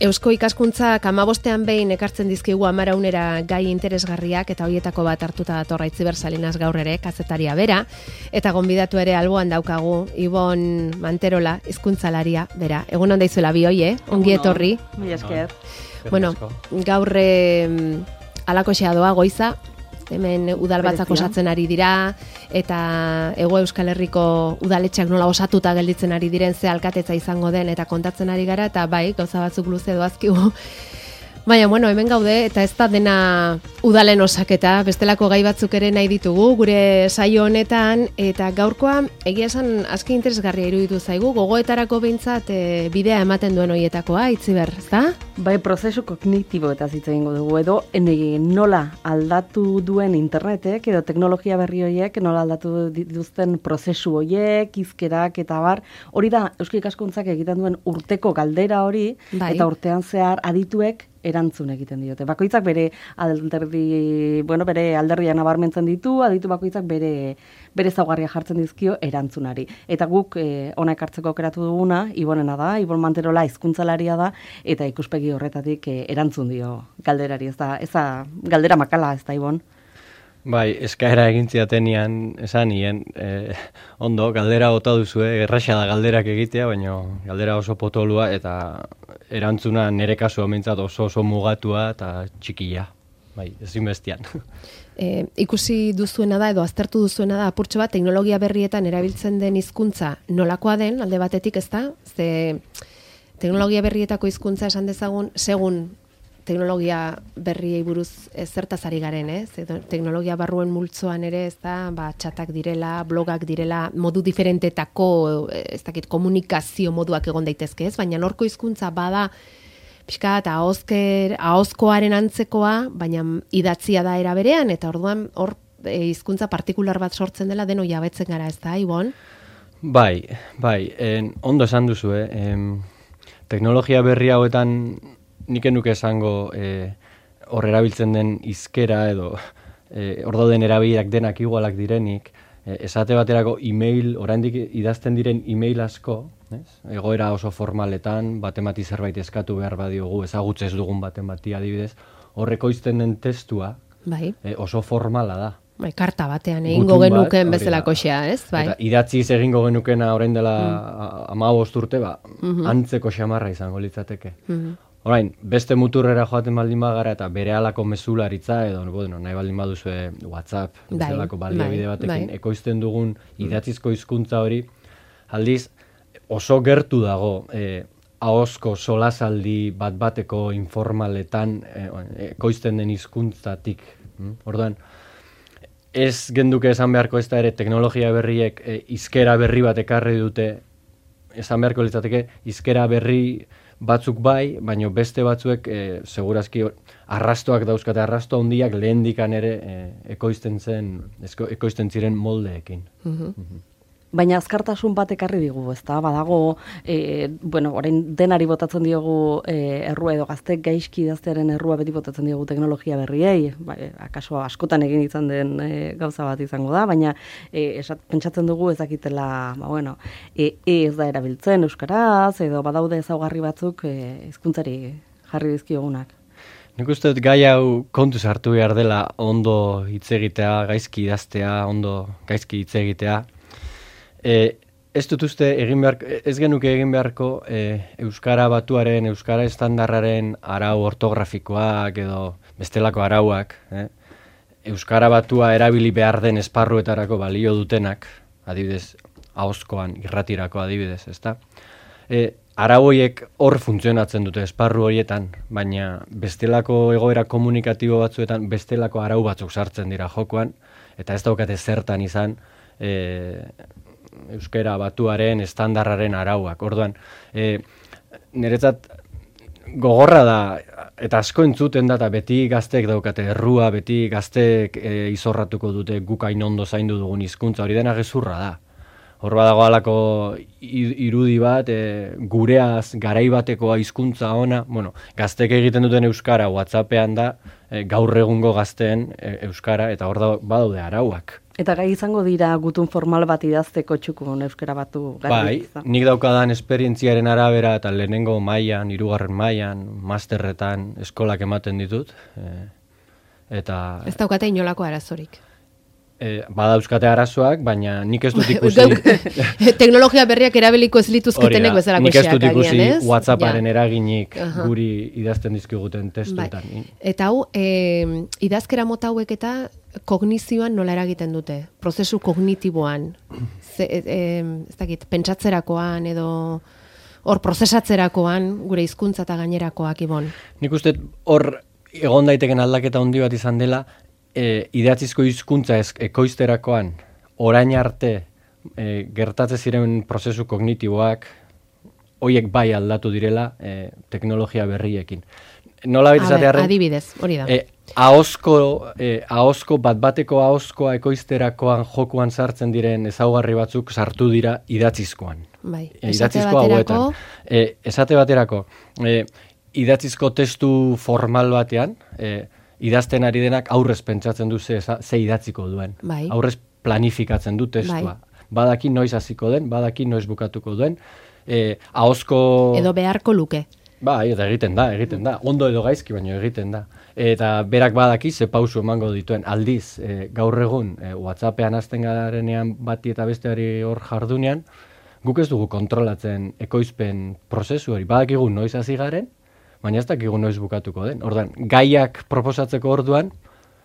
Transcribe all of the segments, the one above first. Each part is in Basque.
Eusko ikaskuntzak 15ean behin ekartzen dizkigu 10 gai interesgarriak eta hoietako bat hartuta dator Aitziber Salinas gaur ere, kazetaria bera, eta gonbidatu ere alboan daukagu Ibon Manterola, hizkuntzalaria bera. Egun on daizuela bi hoie, ongi etorri. Mila esker. Bueno, gaur alakoxea doa goiza, hemen udalbatzak osatzen ari dira, eta Hego Euskal Herriko udaletxeak nola osatuta gelditzen ari diren ze alkatetza izango den eta kontatzen ari gara, eta bai, gauza batzuk luze doazkigu. Baina, bueno, hemen gaude, eta ez da dena udalen osaketa, bestelako gai batzuk ere nahi ditugu, gure saio honetan, eta gaurkoa, egia esan, aski interesgarria iruditu zaigu, gogoetarako behintzat bidea ematen duen hoietakoa, Aitziber, ez da? Bai, prozesu kognitibo eta hitz egingo dugu, edo nola aldatu duen internetek, edo teknologia berri horiek, nola aldatu dituzten prozesu horiek, hizkerak eta bar, hori da, Eusko Ikaskuntzak egiten duen urteko galdera hori, bai. Eta urtean zehar adituek erantzun egiten diote. Bakoitzak bere alderdia nabarmentzen ditu, aditu bakoitzak bere ezaugarria jartzen dizkio erantzunari. Eta guk ona ekartzeko aukeratu duguna, Ibonena da, Ibon Manterola hizkuntzalaria da, eta ikuspegi horretatik erantzun dio galderari. Ez da galdera makala, ez da, Ibon? Bai, eskaera egin ziatenian esan nien, ondo, galdera bota duzue, erraxa da galderak egitea, baina galdera oso potolua eta erantzuna nire kasua mintzat oso mugatua eta txikia, bai, ezinbestian. Ikusi duzuena da edo aztertu duzuena da apurtxo bat teknologia berrietan erabiltzen den hizkuntza nolakoa den, alde batetik ez da, ze teknologia berrietako hizkuntza esan dezagun, segun teknologia berriei buruz zertaz ari garen, teknologia barruen multzoan ere, ez da, txatak direla, blogak direla, modu diferentetako, ez dakit, komunikazio moduak egon daitezke, ez? Baina norko hizkuntza bada pixka eta ahozkoaren antzekoa, baina idatzia da era berean, eta orduan hor hizkuntza partikular bat sortzen dela deno jabetzen gara, ez da, Ibon? Bai, ondo esan duzu, teknologia berri hauetan nik enuke esango hor erabiltzen den hizkera edo hor dauden erabilak denak igualak direnik, esate baterako email, oraindik idazten diren email asko, egoera oso formaletan, batemati zerbait eskatu behar badiogu, ezagutzez dugun batemati adibidez, horrekoizten den testua bai. Oso formala da. Bai, karta batean egingo genuken bezalakoxea, ez? Bai. Eta idatziz egingo genukena orain dela 15 urte, antzeko xamarra izango litzateke. Orain, beste muturrera joaten baldin bagara eta bere alako mezularitza edo nahi baldin baduzue WhatsApp, bezalako baliabide batekin ekoizten dugun idatzizko hizkuntza hori, aldiz oso gertu dago ahozko solasaldi bat-bateko informaletan ekoizten den hizkuntzatik. Orduan, ez genduke esan beharko ez da ere teknologia berriek hizkera berri bat ekarri dute, esan beharko litzateke hizkera berri batzuk bai, baina beste batzuek segurazki arrastoak dauzkate, arrasto handiak lehendikan ere ekoizten ziren moldeekin. Baina azkartasun bat ekarri digu, ez da? Badago, orain denari botatzen diogu errua edo gaztek gaizki idaztearen errua beti botatzen diogu teknologia berriei, akaso askotan egin izan den gauza bat izango da, baina pentsatzen dugu ezakitela, ez da erabiltzen euskaraz, edo badaude ezaugarri batzuk hizkuntzari jarri dizkiogunak. Nik uste dut gai hau kontuz hartu behar dela ondo hitz egitea, gaizki idaztea, ondo gaizki hitz egitea. Ez dut uste ez genuke egin beharko euskara batuaren, euskara estandarraren arau ortografikoak edo bestelako arauak, euskara batua erabili behar den esparruetarako balio dutenak, adibidez, ahozkoan, irratirako adibidez, ezta? Arau horiek hor funtzionatzen dute esparru horietan, baina bestelako egoera komunikatibo batzuetan bestelako arau batzuk sartzen dira jokoan, eta ez daukate zertan izan euskara batuaren estandarraren arauak. Orduan, niretzat gogorra da, eta asko entzuten da, eta beti gazteek daukate errua, beti gazteek izorratuko dute guk hain ondo zaindu dugun hizkuntza, hori dena gezurra da. Hor badago halako irudi bat, gureaz garai bateko hizkuntza ona, gazteek egiten duten euskara WhatsAppean da, gaur egungo gazteen euskara, eta hor badaude arauak. Eta gai izango dira gutun formal bat idazteko txukun euskara batu Bai, nik daukadan esperientziaren arabera eta lehenengo mailan, 3. mailan, masterretan eskolak ematen ditut. Eta Ez daukate inolako arazorik. Badauzkate arazoak, baina nik ez dut ikusi... Teknologia berriak erabiliko ez lituzketenek bezalako nik ez dut xeak, ikusi agian, ez? WhatsApparen eraginik guri idazten dizkiguten testuetan. Bai. Eta hau, idazkera mota hauek eta kognizioan nola eragiten dute? Prozesu kognitiboan, ez dakit, pentsatzerakoan edo hor prozesatzerakoan gure hizkuntza eta gainerakoak, Ibon. Nik uste hor egon daiteken aldaketa handi bat izan dela, idatzizko hizkuntza ekoizterakoan orain arte gertatze ziren prozesu kognitiboak hoiek bai aldatu direla teknologia berriekin. Nola esatearren adibidez, hori da. Ahozko bat-bateko ahozkoa ekoizterakoan jokuan sartzen diren ezaugarri batzuk sartu dira idatzizkoan. Bai, idatzizko hauetan. Esate baterako, idatzizko testu formal batean, idazten ari denak aurrez pentsatzen du ze idatziko duen. Bai. Aurrez planifikatzen du testua. Bai. Badaki noiz hasiko den, badaki noiz bukatuko duen. Ahozko... Edo beharko luke. Bai, eta egiten da. Ondo edo gaizki, baino egiten da. Eta berak badaki ze pausu emango dituen. Aldiz, gaur egun, WhatsAppean hasten garenean bati eta besteari hor jardunean, guk ez dugu kontrolatzen ekoizpen prozesu hori. Badakigu noiz hasi garen, baina ez dakigu noiz bukatuko den. Ordan, gaiak proposatzeko orduan,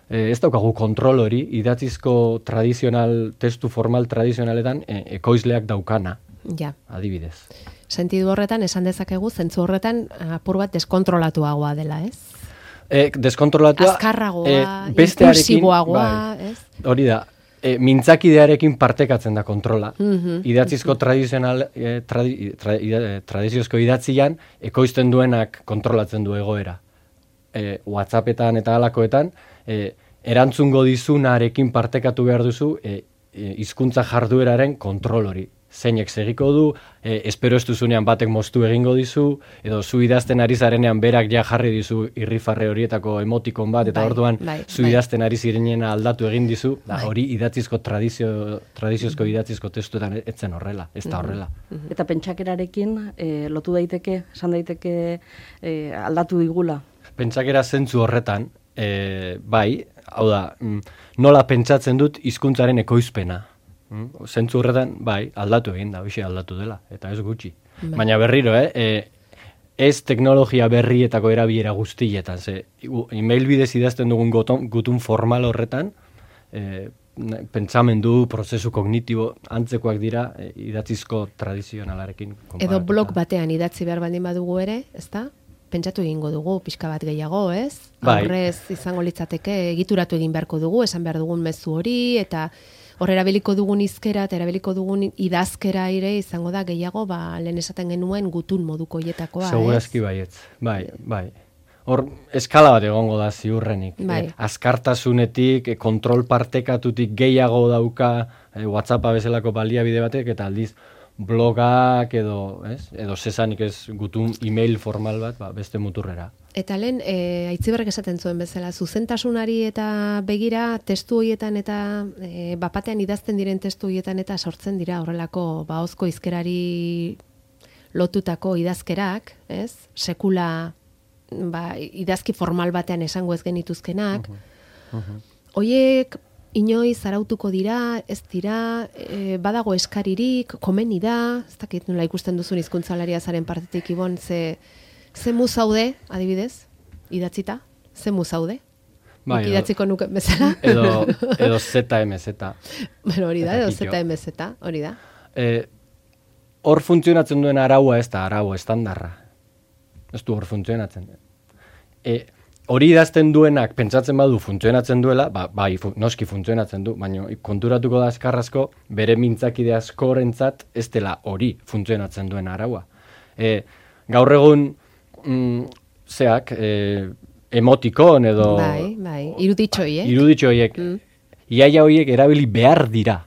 ez daukagu kontrol hori, idatzizko testu formal tradizionaletan ekoizleak daukana, adibidez. Sentidu horretan, esan dezakegu, zentzu horretan, apur bat deskontrolatuagoa dela, ez? Deskontrolatua... Azkarragoa, impulsiboagoa, ez? Hori da, mintzakidearekin partekatzen da kontrola. Idatzizko tradiziozko idatzian, ekoizten duenak kontrolatzen du egoera. WhatsAppetan eta halakoetan, erantzungo dizunarekin partekatu behar duzu hizkuntza jardueraren kontrol hori. Zeinek segiko du, espero ez duzunean batek moztu egingo dizu, edo zu idazten ari zarenean berak ja jarri dizu irrifarre horietako emotikon bat, eta orduan zu idazten ari zirenena aldatu egin dizu, hori idatzizko tradiziozko idatzizko testuetan etzen horrela, ez da horrela. Eta pentsakerarekin lotu daiteke, esan daiteke aldatu digula? Pentsakera zentzu horretan, bai, hau da, nola pentsatzen dut hizkuntzaren ekoizpena. Zentzu horretan, bai, aldatu egin da, hoxe aldatu dela, eta ez gutxi. Baina berriro, ez teknologia berrietako erabilera guztietan, email bidez idazten dugun gutun formal horretan, pentsamendu, prozesu kognitibo, antzekoak dira, idatzizko tradizionalarekin konparatuta. Edo blog batean idatzi behar baldin badugu ere, ezta? Pentsatu egingo dugu, pixka bat gehiago, ez? Aurrez izango litzateke, egituratu egin beharko dugu, esan behar dugun mezu hori, eta hor erabiliko dugun hizkera eta erabiliko dugun idazkera ere izango da gehiago, lehen esaten genuen gutun moduko hietakoa, ez? Segurazki baietz, bai. Hor, eskala bat egongo da ziurrenik. Azkartasunetik, kontrol partekatutik gehiago dauka WhatsAppa bezalako baliabide batek, eta aldiz blogak edo sesanik ez gutun email formal bat, beste muturrera. Eta lehen, Aitziberrek esaten zuen bezala, zuzentasunari eta begira testu horietan eta bapatean idazten diren testu horietan eta sortzen dira horrelako ahozko hizkerari lotutako idazkerak, ez? Sekula idazki formal batean esango ez genituzkenak. Hoiek inoiz arautuko dira, ez dira, badago eskaririk, komeni da, ez dakit nola ikusten duzun hizkuntzalaria zaren partetik, Ibon, ze mu zaude, adibidez, idatzita, ze mu zaude? Nik idatziko nuke bezala? Edo ZMZ. Bueno, hori da, edo ZMZ, hori da. Hor funtzionatzen duen araua ez da, arau estandarra. Ez du hor funtzionatzen. Hori idazten duenak pentsatzen badu funtzionatzen duela, bai, noski funtzionatzen du, baina konturatuko da eskarrazko bere mintzakide askorentzat ez dela hori funtzionatzen duen araua. Gaur egun emotikon edo... Bai, iruditxoiek. Iruditxoiek. Iaia horiek erabili behar dira.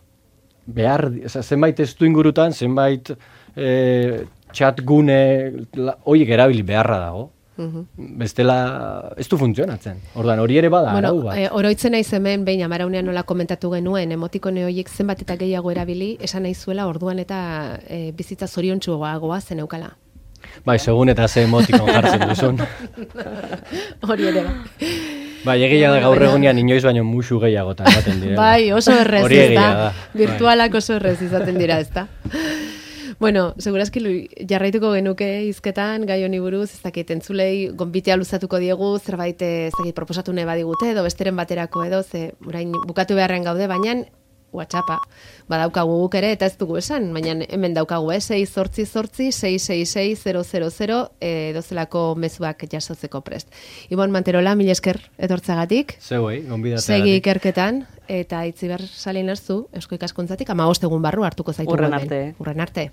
Zenbait testu ingurutan, zenbait chat gune horiek erabili beharra dago. Bestela ez du funtzionatzen. Ordan hori ere bada arau bat. Oroitzen naiz hemen behin amaraunean nola komentatu genuen emotikone horiek zenbat eta gehiago erabili, esan naizuela orduan eta bizitza zoriontsuagoa zen eukala. Bai, segun eta ze emotikon jartzen duzun. Hori ere ba. Bai, egia da gaur egunean inoiz baino musu gehiagotan ematen direla. Bai, oso errez, hori egia da. Virtualak oso errez izaten dira, ezta. Bueno, segurazki jarraituko genuke hizketan gai honi buruz, ez dakit entzulei gonbitea luzatuko diegu, zerbait ez dakit proposatu nahi badigute edo besteren baterako edo, ze orain bukatu beharren gaude, baina WhatsAppa badaukagu guk ere eta ez dugu esan, baina hemen daukagu 688-666-000 dozelako mezuak jasotzeko prest. Ibon Manterola, mil esker etortzagatik. Zeuei, gonbidatagatik. Segi ikerketan eta Itziber Salinazu Eusko Ikaskuntzatik 15 egun barru hartuko zaitu. Urren arte. Urren arte.